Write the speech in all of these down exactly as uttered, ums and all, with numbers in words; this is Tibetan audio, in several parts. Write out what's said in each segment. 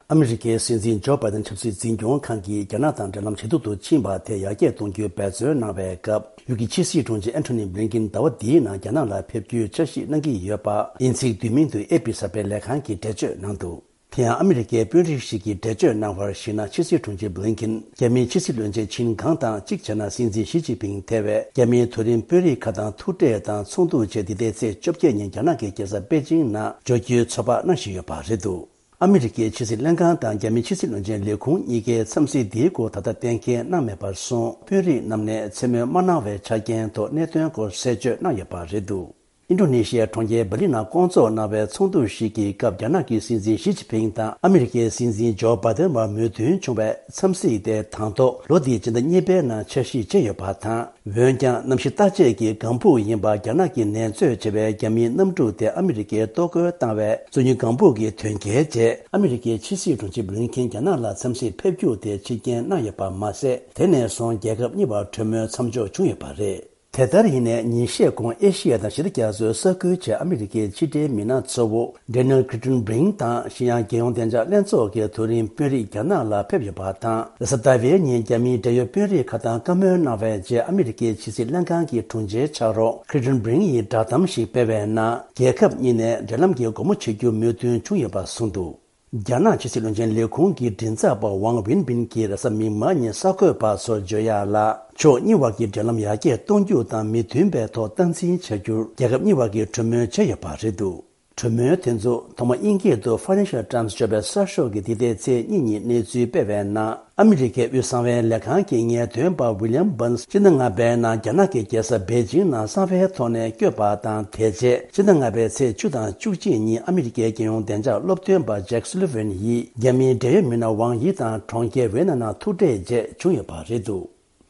ཨ་མི་རི་ཀའི་སྲིད་འཛིན་ཇོ་བྷའི་ཏན་ཆབ་སྲིད་འཛིན་སྐྱོང་ཁང་གིས་རྒྱ་ནག་དང་འབྲེལ་ལམ་ཇེ་སྡུག་ཏུ་ཕྱིན་པ་དེ་ཡར་རྒྱས་གཏོང་རྒྱུའི་འབད་བརྩོན་གནང་བའི་སྐབས། ཡུལ་གྱི་ཕྱི་སྲིད་དྲུང་ཆེ་ཨན་ཐོ་ནི་བྷི་ལིན་ཀིན་ཟླ་བ་འདིའི་ནང་རྒྱ་ནག་ལ་ཕེབས་རྒྱུའི་འཆར་གཞི་གནང་གི་ཡོད་པ། དབྱིན་ཚིག་བསྡུས་མིང་དུ་ཨེ་པི་གསར་པས་ལས་ཁང་གིས་འགྲེལ་བརྗོད་གནང་འདུག་དེ་ཡང་ཨ་མི་རི་ཀའི་དཔོན་རིགས་ཤིག་གིས་འགྲེལ་བརྗོད་གནང་བར་གཞིགས་ན། ཕྱི་སྲིད་དྲུང་ཆེ་བྷི་ལིན་ཀིན་རྒྱ་མིའི་ཕྱི་སྲིད་བློན་ཆེན་ཆིན་གང་དང་གཅིག་བྱས་ན། སྲིད་འཛིན་ཞི་ཅིན་ཕིང་ཐེ་བའི་རྒྱ་མིའི་མཐོ་རིམ་དཔོན་རིགས་ཁག་དང་ཐུག་འཕྲད་དང་ཚོགས་འདུ་བཅས། འདི་ཟླའི་ཚེས་བཅོ་བརྒྱད་ཉིན་རྒྱ་ནག་གི་རྒྱལ་ས་པེ་ཅིང་ནང་འབྱོར་རྒྱུའི་ཚོད་དཔག་གནང་བཞིན་ཡོད་པ་རེད་འདུག་ཨ་མི་རི་ཀའི་ཕྱི་སྲིད་ལྷན་ཁང་དང་རྒྱ་མིའི་ཕྱི་སྲིད་བློན་ཆེན་ལས་ཁུངས་གཉིས་ཀས་འཚམས་གཟིགས་འདིའི་སྐོར་ད་ལྟ་གཏན་འཁེལ་གནང་མེད་པར་སོང་། དཔོན་རིགས་རྣམས་ནས་མཚན་སྨོས་མ་གནང་བའི་ཆ་རྐྱེན་ཐོག་གནད་དོན་སྐོར་གསལ་བརྗོད་གནང་ཡོད་པ་རེད་འདུག་ཨིན་ཌོ་ནེ་ཤི་ཡའི་གྲོང་ཁྱེར་བྷ་ལི་ནང་བསྐོང་ཚོགས་གནང་བའི་ཚོགས་འདུ་ཞིག་གི་སྐབས། རྒྱ་ནག་གི་སྲིད་འཛིན་ཞི་ཅིན་ཕིང་དང་ཨ་མི་རི་ཀའི་སྲིད་འཛིན་ཇོ་བྷའི་ཏན་བར་མོས་མཐུན་བྱུང་བའི་འཚམས་གཟིགས་དེ་དང་ཐོག་ལོ་འདིའི་སྤྱི་ཟླ་གཉིས་པའི་ནང་འཆར་གཞི་བྱས་ཡོད་པ་དང་། འོན་ཀྱང་གནམ་གཤིས་བརྟག་དཔྱད་ཀྱི་ལྒང་ཕུག་ཡིན་པ། རྒྱ་ནག་གི་ནད་མཛོད་ཅེས་པའི་རྒྱ་མིའི་གནམ་གྲུ་དེ་ཨ་མི་རི་ཀས་གཏོར་རྒོལ་བཏང་བའི་སོ་ཉུལ་ལྒང་ཕུག་གི་དོན་རྐྱེན་རྗེས། ཨ་མི་རི་ཀའི་ཕྱི་སྲིད་དྲུང་ཆེ་བྷི་ལིན་ཀིན་རྒྱ་ནག་ལ་འཚམས་གཟིགས་ཕེབས་རྒྱུ་དེ་ཕྱིར་འགྱངས་གནང་ཡོད་པ་མ་ཟད། དེ་ནས་བཟུང་རྒྱལ་ཁབ་གཉིས་བར་གྲོས་མོལ་མཚམས་འཇོག་བྱུང་ཡོད་པ་རེད། དེ་ལྟར་ཡིན་ནའི་ཉིན་ཤས་གོང་ཨེ་ཤི་ཡ་དང་ཞི་བདེ་རྒྱ་མཚོའི་ས་ཁུལ་བཅས་ཨ་མི་རི་ཀའི་ཕྱི་འབྲེལ་མི་སྣ་གཙོ་བོ་ཌེ་ནེལ་ཀྲི་ཊན་བྷི་ལིན་ཀིན་དང་ཨེ་ཤི་ཡ་རྒྱལ་ཡོངས་བདེ་འཇགས་ལྷན་ཚོགས་ཀྱི་མཐོ་རིམ་དཔོན་རིགས་རྒྱ་ནག་ལ་ཕེབས་ཡོད་པ་དང་། རེས་གཟའ་ཟླ་བའི་ཉིན་རྒྱ་མིའི་འབྲེལ་ཡོད་དཔོན་རིགས་ཁག་དང་བཀའ་མོལ་གནང་བའི་རྗེས། ཨ་མི་རི་ཀའི་ཕྱི་སྲིད་ལྷན་ཁང་གི་དྲུང་ཆེའི་ཕྱག་རོགས་ཀྲི་ཊན་བྷི་ལིན་ཀིན་ཡིས་བསྒྲགས་གཏམ་ཞིག་སྤེལ་བའི་ནང་། རྒྱལ་ཁབ་གཉིས་ནས་འབྲེལ་ལམ་གྱི་སྒོ་མོ་ཕྱེ་རྒྱུ་མོས་མཐུན་བྱུང་ཡོད་པ་གསུངས་འདུག་རྒྱ་ནག་ཕྱི་སྲིད་བློན་ཆེན་ལས་ཁུངས་ཀྱི་མགྲིན་ཚབ་པ་ཝང་ཝིན་པིན་གྱིས་རེས་གཟའ་མིག་དམར་ཉིན་གསར་འགོད་པ་ཚོར་བརྗོད་ཡག་ལ། ཕྱོགས་གཉིས་བར་གྱི་འབྲེལ་ལམ་ཡར་རྒྱས་གཏོང་རྒྱུ་དང་མི་མཐུན་པའི་ཐོག་སྟངས་འཛིན་བྱ་རྒྱུར་རྒྱལ་ཁབ་གཉིས་བར་གྱི་གྲོས་མོལ་བྱས་ཡོད་པ་རེད་འདུག་གྲོས་མོལ་དེ་ཚོ་ཐོག་མ་དབྱིན་སྐད་དུ་Financial Times ཅེས་པའི་གསར་ཤོག་གིས་འདི་ཟླའི་ཚེས་གཉིས་ཉིན་གནས་ཚུལ་སྤེལ་བའི་ནང་། ཨ་མི་རི་ཀའི་དབུས་གསང་བའི་ལས་ཁང་གི་ངེས་སྟོན་པ་ཝི་ལི་ཡམ་བྷན་སི་སྤྱི་ཟླ་ལྔ་པའི་ནང་རྒྱ་ནག་གི་རྒྱལ་ས་པེ་ཅིང་ནང་གསང་བའི་ཐོག་ནས་བསྐྱོད་པ་དང་། དེ་རྗེས་སྤྱི་ཟླ་ལྔ་པའི་ཚེས་བཅུ་དང་བཅུ་གཅིག་ཉིན་ཨ་མི་རི་ཀའི་རྒྱལ་ཡོངས་བདེ་འཇགས་སློབ་སྟོན་པ་ཇེག་སུ་ལི་ཝན་ཡིས་རྒྱ་མིའི་འབྲེལ་ཡོད་མི་སྣ་ཝང་ཡི་དང་གྲོང་ཁྱེར་ཝེ་ན་ནང་ཐུག་འཕྲད་རྗེས་བྱུང་ཡོད་པ་རེད་འདུག་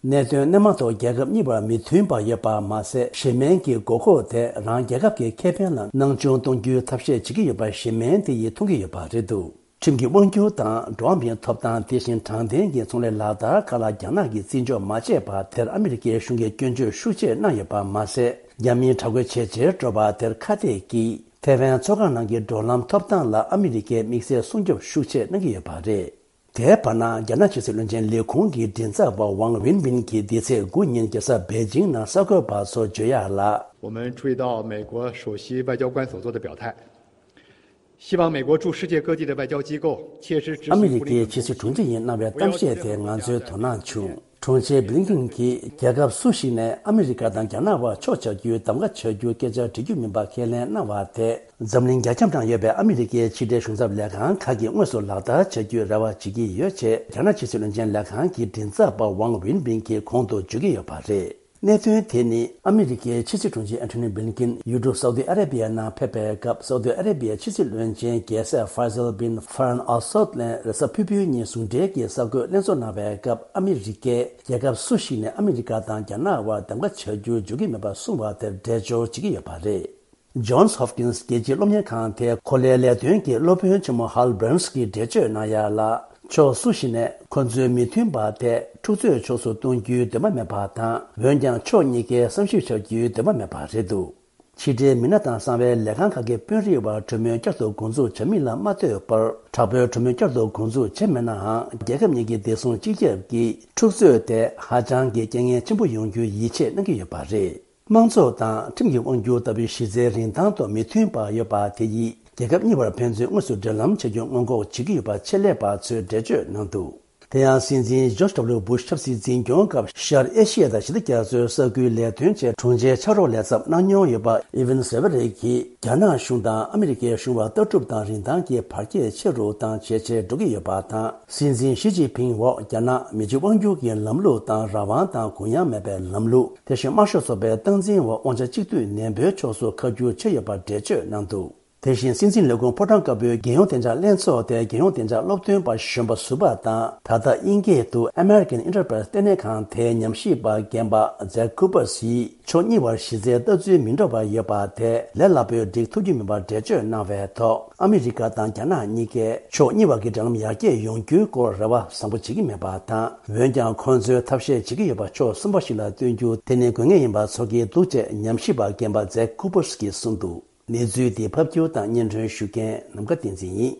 གནད་དོན་སྣེ་མང་ཐོག་རྒྱལ་ཁབ་གཉིས་བར་མི་མཐུན་པ་ཡོད་པ་མ་ཟད། བྱེད་སྨན་གྱི་དགོས་མཁོ་དེ་རང་རྒྱལ་ཁབ་ཀྱི་ཁེ་ཕན་ལ་སྣང་ཆུང་གཏོང་རྒྱུའི་ཐབས་ཤེས་བྱེད་ཀྱི་ཡོད་པ་བྱེད་སྨན་དེ་ཡིས་མཐོང་གི་ཡོད་པ་རེད་འདུག་ཁྲིམས་ཀྱི་དབང་སྒྱུར་དང་འགྲོ་བ་མིའི་ཐོབ་ཐང་། དེ་བཞིན་དྲང་བདེན་གྱི་ཚོང་ལས་ལག་བསྟར་ཁག་ལ་རྒྱ་ནག་གིས་བརྩི་འཇོག་མ་བྱས་པ་དེར་ཨ་མི་རི་ཀའི་གཞུང་གིས་སྐྱོན་བརྗོད་ཤུགས་ཆེ་གནང་ཡོད་པ་མ་ཟད། རྒྱ་མིའི་དྲག་རྒོལ་ཇེ་ཆེར་འགྲོ་བ་དེར་ཁ་གཏད་ཀྱིས། ཐའེ་ཝན་མཚོ་སྒང་ནང་གི་འགྲོ་ལམ་ཐོབ་ཐང་ལ་ཨ་མི་རི་ཀས་དམིགས་བསལ་སྲུང་སྐྱོབ་ཤུགས་ཆེ་གནང་གི་ཡོད་པ་རེད། དེའི་བར་ན། རྒྱ་ནག་ཕྱི་སྲིད་བློན་ཆེན་ལས་ཁུངས་ཀྱི་མགྲིན་ཚབ་པ་ཝང་ཝིན་པིན་གྱིས་འདི་ཚེས་དགུ་ཉིན་རྒྱལ་ས་པེ་ཅིང་ནང་གསར་འགོད་པ་ཚོར་བརྗོད་ཡག་ལ། 我们注意到美国首席外交官所做的表态，希望美国驻世界各地的外交机构切实执行 ཨ་མི་རི་ཀའི་ཕྱི་སྲིད་དྲུང་ཆེ་ཡིས་གནང་བའི་གཏམ་བཤད་དེ་ང་ཚོའི་དོ་སྣང་བྱུང་། དྲུང་ཆེ་བྷི་ལིན་ཀིན་གྱིས་རྒྱལ་ཁབ་སུ་ཞིག་ནས་ཨ་མི་རི་ཀ་དང་རྒྱ་ནག་བར་ཕྱོགས་ཆ་རྒྱུའི་གདམ་ག་བྱ་རྒྱུའི་སྐད་ཆ་འདྲི་རྒྱུ་མིན་པ་ཁས་ལེན་གནང་བ་དེ། འཛམ་གླིང་རྒྱ་ཁྱབ་ནང་ཡོད་པའི་ཨ་མི་རི་ཀའི་ཕྱི་འབྲེལ་གཞུང་ཚབ་ལས་ཁང་ཁག་གིས་དངོས་སུ་ལག་བསྟར་བྱ་རྒྱུའི་རེ་བ་བྱེད་ཀྱི་ཡོད་ཅེས། རྒྱ་ནག་ཕྱི་སྲིད་བློན་ཆེན་ལས་ཁང་གི་མགྲིན་ཚབ་པ་ཝང་ཝིན་པིན་གྱིས་གོང་དུ་བརྗོད་ཀྱི་ཡོད་པ་རེད། གནད་དོན་དེ་ནི་ཨ་མི་རི་ཀའི་ཕྱི་སྲིད་དྲུང་ཆེ་ཨན་ཐོ་ནི་བྷི་ལིན་ཀིན་ཡུལ་གྲུ་སའུ་ཏི་ཨ་རེ་བྷི་ཡ་ནང་ཕེབས་པའི་སྐབས། སའུ་ཏི་ཨ་རེ་བྷི་ཡའི་ཕྱི་སྲིད་བློན་ཆེན་རྒྱལ་སྲས་ཧྥ་ཟལ་བིན་ཧྥ་རན་ཨལ་སཱད་ལན་རེས་གཟའ་ཕུར་བུའི་ཉིན་ཟུང་འབྲེལ་གྱི་གསར་འགོད་ལྷན་ཚོགས་གནང་བའི་སྐབས། ཨ་མི་རི་ཀས་རྒྱལ་ཁབ་སུ་ཞིག་ནས་ཨ་མི་རི་ཀ་དང་རྒྱ་ནག་བར་གདམ་ག་བྱ་རྒྱུ་འཇུག་གི་མེད་པ་གསུངས་པ་དེར་འགྲེལ་བརྗོད་བྱེད་ཀྱི་ཡོད་པ་རེད། ཇོན་སི་ཧོབ་ཀིན་སི་རྒྱལ་སྤྱིའི་སློབ་གཉེར་ཁང་དེའི་གོ་ལའི་ལས་དོན་གྱི་སློབ་དཔོན་ཆེན་མོ་ཧལ་བྷརན་སི་གིས་འགྲེལ་བརྗོད་གནང་ཡག་ལ། ཕྱོགས་སུ་ཞིག་ནས་ཁོ་ཚོའི་མི་མཐུན་པ་དེ་འཁྲུག་རྩོད་ཕྱོགས་སུ་གཏོང་རྒྱུའི་འདུན་པ་མེད་པ་དང་། འོན་ཀྱང་ཕྱོགས་གཉིས་ཀས་བསམ་ཞིབ་བྱ་རྒྱུའི་འདུན་པ་མེད་པ་རེད་འདུག་ཕྱི་འབྲེལ་མི་སྣ་དང་གསང་བའི་ལས་ཁང་ཁག་གི་དཔོན་རིགས་བར་གྲོས་མོལ་བསྐྱར་དུ་འགོ་འཛུགས་བྱ་མིན་ལ་མ་ལྟོས་པར། དྲག་པོའི་གྲོས་མོལ་བསྐྱར་དུ་འགོ་འཛུགས་བྱས་མེད་ནའང་། རྒྱལ་ཁབ་གཉིས་ཀྱི་བདེ་སྲུང་སྤྱི་ཁྱབ་ཀྱིས་འཁྲུག་རྩོད་དེ་ཧ་ཅང་གི་རྐྱེན་ངན་ཆེན་པོ་ཡོང་རྒྱུའི་ཡིད་ཆེས་གནང་གི་ཡོད་པ་རེད། དམངས་གཙོ་དང་ཁྲིམས་ཀྱི་དབང་སྒྱུར་ལྟ་བུའི་གཞི་རྩའི་རིན་ཐང་ཐོག་མི་མཐུན་པ་ཡོད་པ་དེ་ཡིས། རྒྱལ་ཁབ་གཉིས་བར་ཕན་ཚུན་དངོས་སུ་འབྲེལ་ལམ་བྱ་རྒྱུ་སྔོན་འགོག་བྱེད་ཀྱི་ཡོད་པ་ཆེད་ལས་པ་ཚོས་འགྲེལ་བརྗོད་གནང་འདུག་དེ་ཡང་སྲིད་འཛིན་ཇོརྗ་ཌབ་ལུ་བྷུཤ་ཆབ་སྲིད་འཛིན་སྐྱོང་སྐབས། ཤར་ཨེ་ཤི་ཡ་དང་ཞི་བདེ་རྒྱ་མཚོའི་ས་ཁུལ་ལས་དོན་ཆེད་དྲུང་ཆེའི་ཕྱག་རོགས་ལས་ཚབ་གནང་མྱོང་ཡོད་པ་ཨི་ཝན་སེ་ཝེ་རེ་གིས། རྒྱ་ནག་གཞུང་དང་ཨ་མི་རི་ཀའི་གཞུང་བར་ལྟ་གྲུབ་དང་རིན་ཐང་གི་བར་ཁྱད་ཆེ་རུ་དང་ཇེ་ཆེར་འགྲོ་གི་ཡོད་པ་དང་། སྲིད་འཛིན་ཞི་ཅིན་ཕིང་འོག་རྒྱ་ནག་མི་གཅིག་དབང་སྒྱུར་གྱི་ལམ་ལུགས་དང་རང་དབང་དང་གུ་ཡངས་མེད་པའི་ལམ་ལུགས། དེ་བཞིན་དམར་ཤོག་ཚོགས་པའི་སྟངས་འཛིན་འོག་དབང་ཆ་གཅིག་སྡུད་ནན་པོའི་ཕྱོགས་སུ་ཁ་བསྒྱུར་བྱས་ཡོད་པར་འགྲེལ་བརྗོད་གནང་འདུག་དེ་བཞིན་སྲིད་འཛིན་ལས་ཁུངས་ཕོ་བྲང་དཀར་པོའི་རྒྱལ་ཡོངས་བདེ་འཇགས་ལྷན་ཚོགས་དེའི་རྒྱལ་ཡོངས་བདེ་འཇགས་སློབ་སྟོན་པ་གཞོན་པ་ཟུར་པ་དང་། ད་ལྟ་དབྱིན་སྐད་དུ་American Enterprise ལྟེ་གནས་ཁང་དེའི་ཉམས་ཞིབ་པ་རྒན་པ་ཛེག་ཀུ་པར་སི་ཡིས། ཕྱོགས་གཉིས་བར་གཞི་རྩའི་ལྟ་ཚུལ་མི་འདྲ་བ་ཡོད་པ་དེ་ལས་སླ་པོས་འགྲིག་ཐུབ་ཀྱི་མིན་པར་འགྲེལ་བརྗོད་གནང་བའི་ཐོག་ཨ་མི་རི་ཀ་དང་རྒྱ་ནག་གཉིས་ཀས་ཕྱོགས་གཉིས་བར་གྱི་འབྲེལ་ལམ་ཡར་རྒྱས་ཡོང་རྒྱུའི་སྐོར་རེ་བ་བཟང་པོ་བྱེད་ཀྱི་མེད་པ་དང་། འོན་ཀྱང་ཁོང་ཚོས་ཐབས་ཤེས་བྱེད་ཀྱི་ཡོད་པ་ཕྱོགས་གསུམ་པ་ཞིག་ལ་སྟོན་རྒྱུ་དེ་ནི་དགོས་ངེས་ཡིན་པ་ཚོར་གྱི་འདུག་ཅེས་ཉམས་ཞིབ་པ་རྒན་པ་ཛེག་ཀུ་པར་སི་ཀིས་གསུངས་འདུག་གནས་ཚུལ་འདི་ཕབ་སྒྱུར་དང་སྙན་སྒྲོན་ཞུ་མཁན་ནམ་མཁའ་བསྟན་འཛིན་ཡིན།